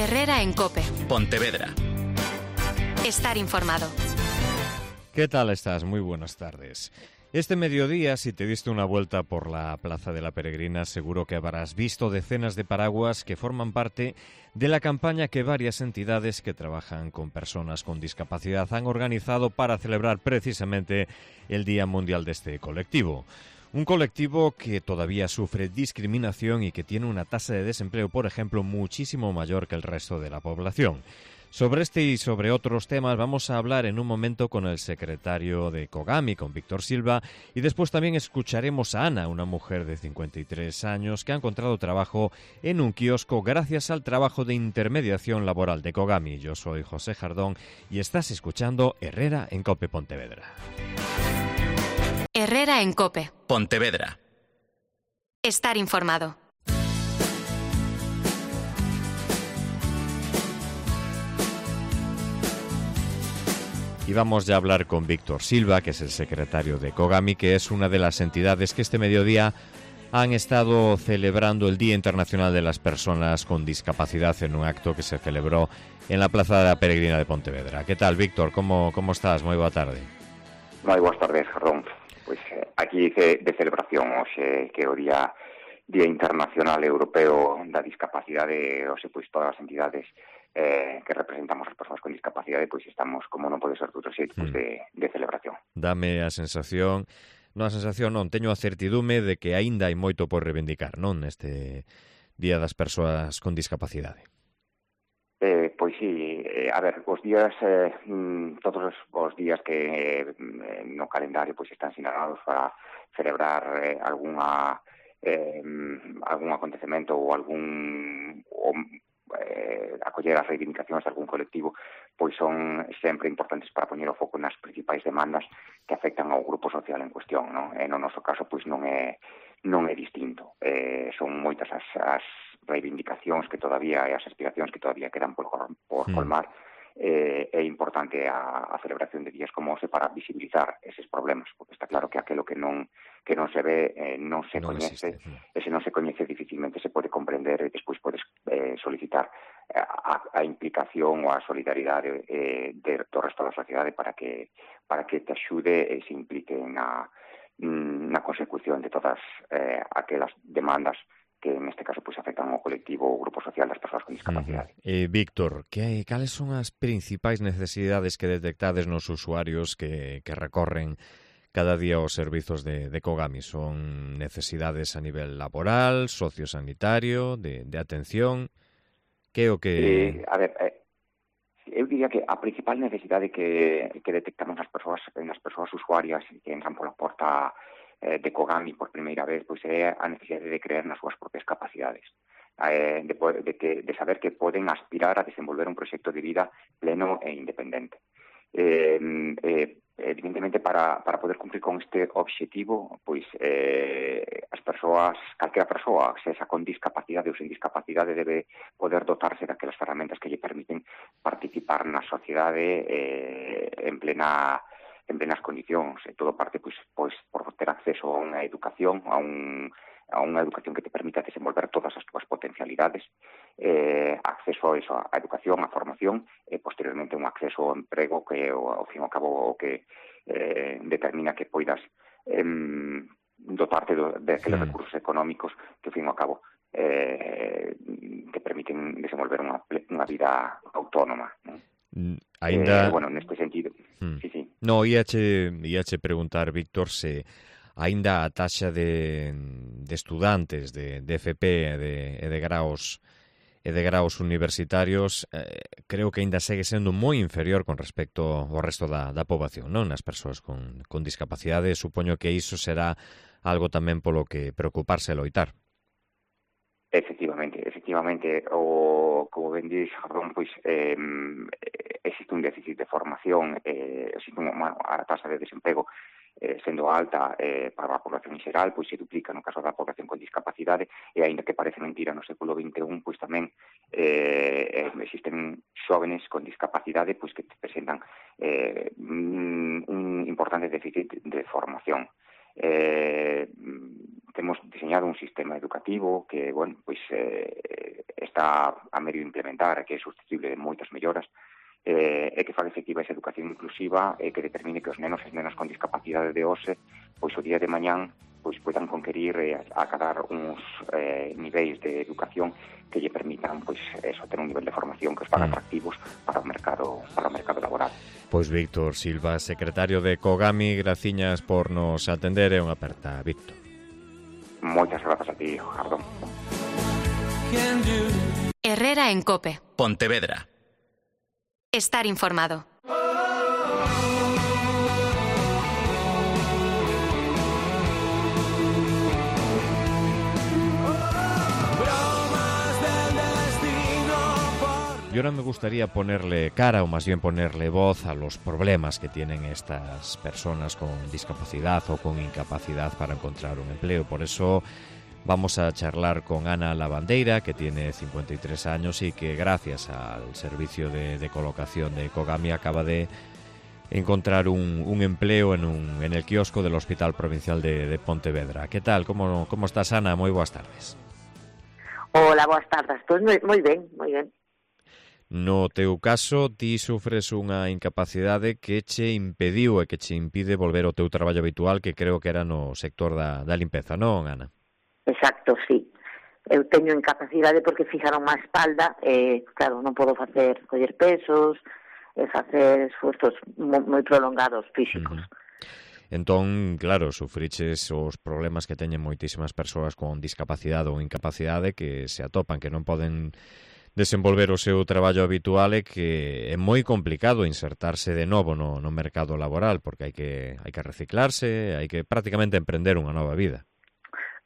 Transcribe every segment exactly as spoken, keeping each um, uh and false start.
Herrera en COPE. Pontevedra. Estar informado. ¿Qué tal estás? Muy buenas tardes. Este mediodía, si te diste una vuelta por la Plaza de la Peregrina, seguro que habrás visto decenas de paraguas que forman parte de la campaña que varias entidades que trabajan con personas con discapacidad han organizado para celebrar precisamente el Día Mundial de este colectivo. Un colectivo que todavía sufre discriminación y que tiene una tasa de desempleo, por ejemplo, muchísimo mayor que el resto de la población. Sobre este y sobre otros temas vamos a hablar en un momento con el secretario de COGAMI, con Víctor Silva, y después también escucharemos a Ana, una mujer de cincuenta y tres años que ha encontrado trabajo en un kiosco gracias al trabajo de intermediación laboral de COGAMI. Yo soy José Jardón y estás escuchando Herrera en COPE Pontevedra. Herrera en COPE. Pontevedra. Estar informado. Y vamos ya a hablar con Víctor Silva, que es el secretario de COGAMI, que es una de las entidades que este mediodía han estado celebrando el Día Internacional de las Personas con Discapacidad en un acto que se celebró en la Plaza de la Peregrina de Pontevedra. ¿Qué tal, Víctor? ¿Cómo, cómo estás? Muy boa tarde. Moi boas tardes, Jardón. Pois eh, aquí de, de celebración hoxe que é o Día Día Internacional Europeo da Discapacidade, hoxe pois todas as entidades eh, que representamos as persoas con discapacidade, pois estamos, como non pode ser de outro xeito, pois de, de celebración. Dame a sensación, non a sensación non, teño a certidume de que aínda hai moito por reivindicar, non, neste Día das Persoas con Discapacidade. Eh, pois sí, eh, a ver, os días, eh, todos os días que eh, no calendario pois están sinalados para celebrar eh, algunha eh, algún acontecemento ou algún ou, eh, acoller as reivindicacións de algún colectivo, pois son sempre importantes para poñer o foco nas principais demandas que afectan ao grupo social en cuestión, non? E no noso caso, pois non é non é distinto. Eh, son moitas as, as reivindicacións que todavía e as aspiracións que todavía quedan por, por colmar. Eh, é importante a, a celebración de días como ese para visibilizar eses problemas, porque está claro que aquelo que non que non se ve eh, non se non coñece, existe, sí. E se non se coñece dificilmente se pode comprender e despois podes eh, solicitar a, a implicación ou a solidaridade eh, de, do resto da sociedade para que para que te axude e se implique na na consecución de todas eh, aquelas demandas que neste caso pois afectan ao colectivo ou grupo social das persoas con discapacidade. Uh-huh. Eh, Víctor, que, cales son as principais necesidades que detectades nos usuarios que, que recorren cada día os servizos de, de COGAMI? Son necesidades a nivel laboral, sociosanitario, de, de atención? Que o que... Eh, a ver, eh, eu diría que a principal necesidade que, que detectamos nas persoas, nas persoas usuarias que entran pola porta eh, de COGAMI por primeira vez, pois é a necesidade de creer nas súas propias capacidades, eh, de, de, que, de saber que poden aspirar a desenvolver un proxecto de vida pleno e independente. Eh, eh, evidentemente, para, para poder cumprir con este obxectivo, pois eh, as persoas, calquera persoa, sexa con discapacidade ou sin discapacidade, debe poder dotarse daquelas ferramentas que lle permiten participar na sociedade eh, en plena en plenas condicións, e todo parte pois, pois por ter acceso a unha educación, a un a unha educación que te permita desenvolver todas as túas potencialidades, eh, acceso a eso, a educación, a formación, e posteriormente un acceso ao emprego que, ao fin e ao cabo, o que eh, determina que poidas eh, dotarte do, de aqueles sí. recursos económicos que, ao fin e ao cabo, eh, te permiten desenvolver unha, unha vida autónoma, non? Ainda... Eh, bueno, neste sentido, hmm. sí, sí. No, íache, íache preguntar, Víctor, se aínda a taxa de, de estudantes de, de F P e de, e de graos e de graos universitarios eh, creo que aínda segue sendo moi inferior con respecto ao resto da, da poboación, non? Nas persoas con, con discapacidade, supoño que iso será algo tamén polo que preocuparse e loitar. Efectivamente, efectivamente, o, como ben dix, Jardón, pois eh, existe un déficit de formación, eh, existe unha, a tasa de desemprego eh, sendo alta eh, para a población en xeral, pois se duplica no caso da población con discapacidade, e aínda que parece mentira no século vinte e un, pois tamén eh, existen xóvenes con discapacidade pois que presentan eh, un importante déficit de formación. Eh, temos diseñado un sistema educativo que, bueno, pois eh, está a medio implementar, que é susceptible de moitas melloras, eh, é que faga efectiva esa educación inclusiva e que determine que os nenos e nenas con discapacidade de hoxe, pois o día de mañán, pois poidan conquerir e eh, acadar uns eh, niveis de educación que lle permitan, pois, eso, ter un nivel de formación que os faga atractivos para o mercado, para o mercado laboral. Pois Víctor Silva, secretario de Cogami, graciñas por nos atender e unha aperta, Víctor. Moitas grazas a ti, Jardón. Herrera en COPE. Pontevedra. Estar informado. Y ahora me gustaría ponerle cara, o más bien ponerle voz a los problemas que tienen estas personas con discapacidad o con incapacidad para encontrar un empleo. Por eso vamos a charlar con Ana Lavandeira, que tiene cincuenta y tres años y que gracias al servicio de, de colocación de Cogami acaba de encontrar un, un empleo en, un, en el kiosco del Hospital Provincial de, de Pontevedra. ¿Qué tal? ¿Cómo, cómo estás, Ana? Muy boas tardes. Hola, boas tardes. Pois moi, moi ben, moi ben. No teu caso, ti sufres unha incapacidade que che impediu e que che impide volver ao teu traballo habitual, que creo que era no sector da, da limpeza, non, Ana? Exacto, sí. Eu teño incapacidade porque fixaron má espalda e, claro, non podo facer coller pesos e facer esfuerzos moi prolongados físicos. Uh-huh. Entón, claro, sufriches os problemas que teñen moitísimas persoas con discapacidade ou incapacidade que se atopan, que non poden desenvolver o seu traballo habitual e que é moi complicado insertarse de novo no, no mercado laboral, porque hai que hai que reciclarse, hai que prácticamente emprender unha nova vida.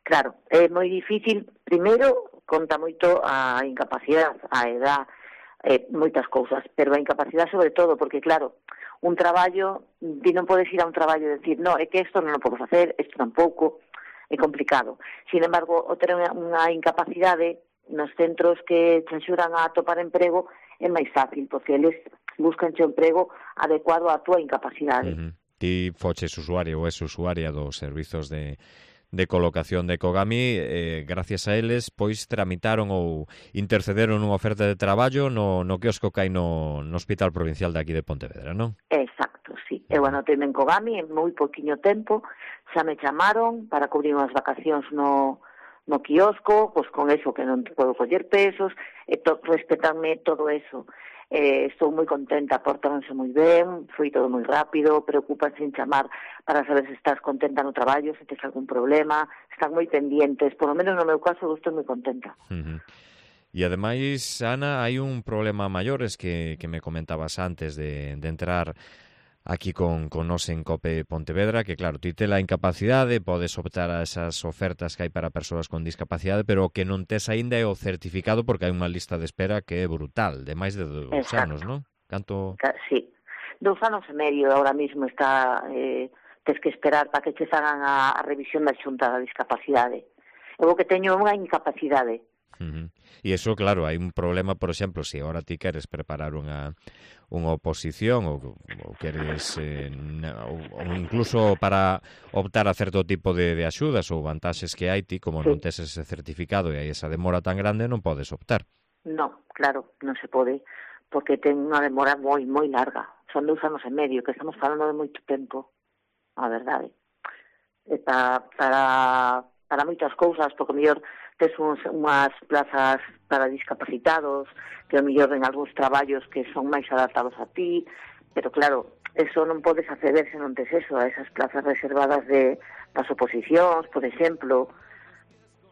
Claro, é moi difícil. Primeiro, conta moito a incapacidade, a edad, eh, moitas cousas, pero a incapacidade sobre todo, porque claro, un traballo, ti non podes ir a un traballo e decir, no, é que isto non o podo facer, isto tampouco, é complicado. Sin embargo, o ter unha incapacidade nos centros que te axudan a atopar emprego é máis fácil, porque eles buscan o emprego adecuado á túa incapacidade. Uh-huh. Ti foches usuario ou es usuaria dos servizos de, de colocación de Cogami, eh, gracias a eles, pois tramitaron ou intercederon unha oferta de traballo no, no quiosco que hai no, no Hospital Provincial de aquí de Pontevedra, non? Exacto, sí. Eu anotei en Cogami en moi poquinho tempo, xa me chamaron para cubrir unhas vacacións no no quiosco, pois con eso que non podo coller pesos, e to, respetarme todo eso. Eh, estou moi contenta, portáronse moi ben, foi todo moi rápido, preocupanse en chamar para saber se estás contenta no traballo, se tes algún problema, están moi pendientes, por lo menos no meu caso, estou moi contenta. Uh-huh. E ademais, Ana, hai un problema maior, es que, que me comentabas antes de, de entrar aquí con, con nos en COPE Pontevedra, que claro, ti te la incapacidade, podes optar a esas ofertas que hai para persoas con discapacidade, pero que non tes aínda é o certificado, porque hai unha lista de espera que é brutal, de máis de dous anos, non? Canto... Sí, dous anos e medio ahora mismo está, eh, tes que esperar para que che fagan a, a revisión da xunta da discapacidade. Eu que teño unha incapacidade. Uh-huh. E iso, claro, hai un problema, por exemplo, se agora ti queres preparar unha unha oposición ou, ou queres eh, ou, ou incluso para optar a certo tipo de, de axudas ou vantaxes que hai, ti como sí. non tes ese certificado e hai esa demora tan grande, non podes optar. No, claro, non se pode, porque ten unha demora moi, moi larga. Son dous anos e medio, que estamos falando de moito tempo, a verdade. E para, para, para moitas cousas, porque mellor tes uns, unhas plazas para discapacitados, que o mellor en algúns traballos que son máis adaptados a ti, pero claro, eso non podes acceder se non tes eso, a esas plazas reservadas de das oposicións, por exemplo,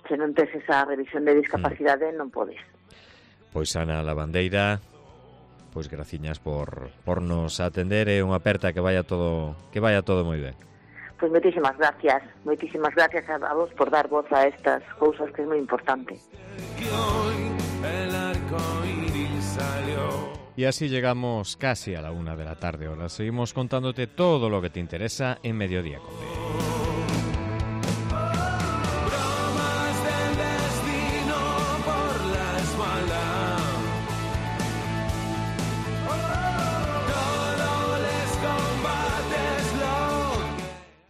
se non tes esa revisión de discapacidade, non podes. Pois Ana Lavandeira, pois graciñas por, por nos atender e unha aperta que vaya todo que vaya todo moi ben. Pois moitísimas gracias, moitísimas gracias a vos por dar voz a estas cousas que é moi importante. Y así llegamos casi a la una de la tarde. Ahora seguimos contándote todo lo que te interesa en Mediodía Cope.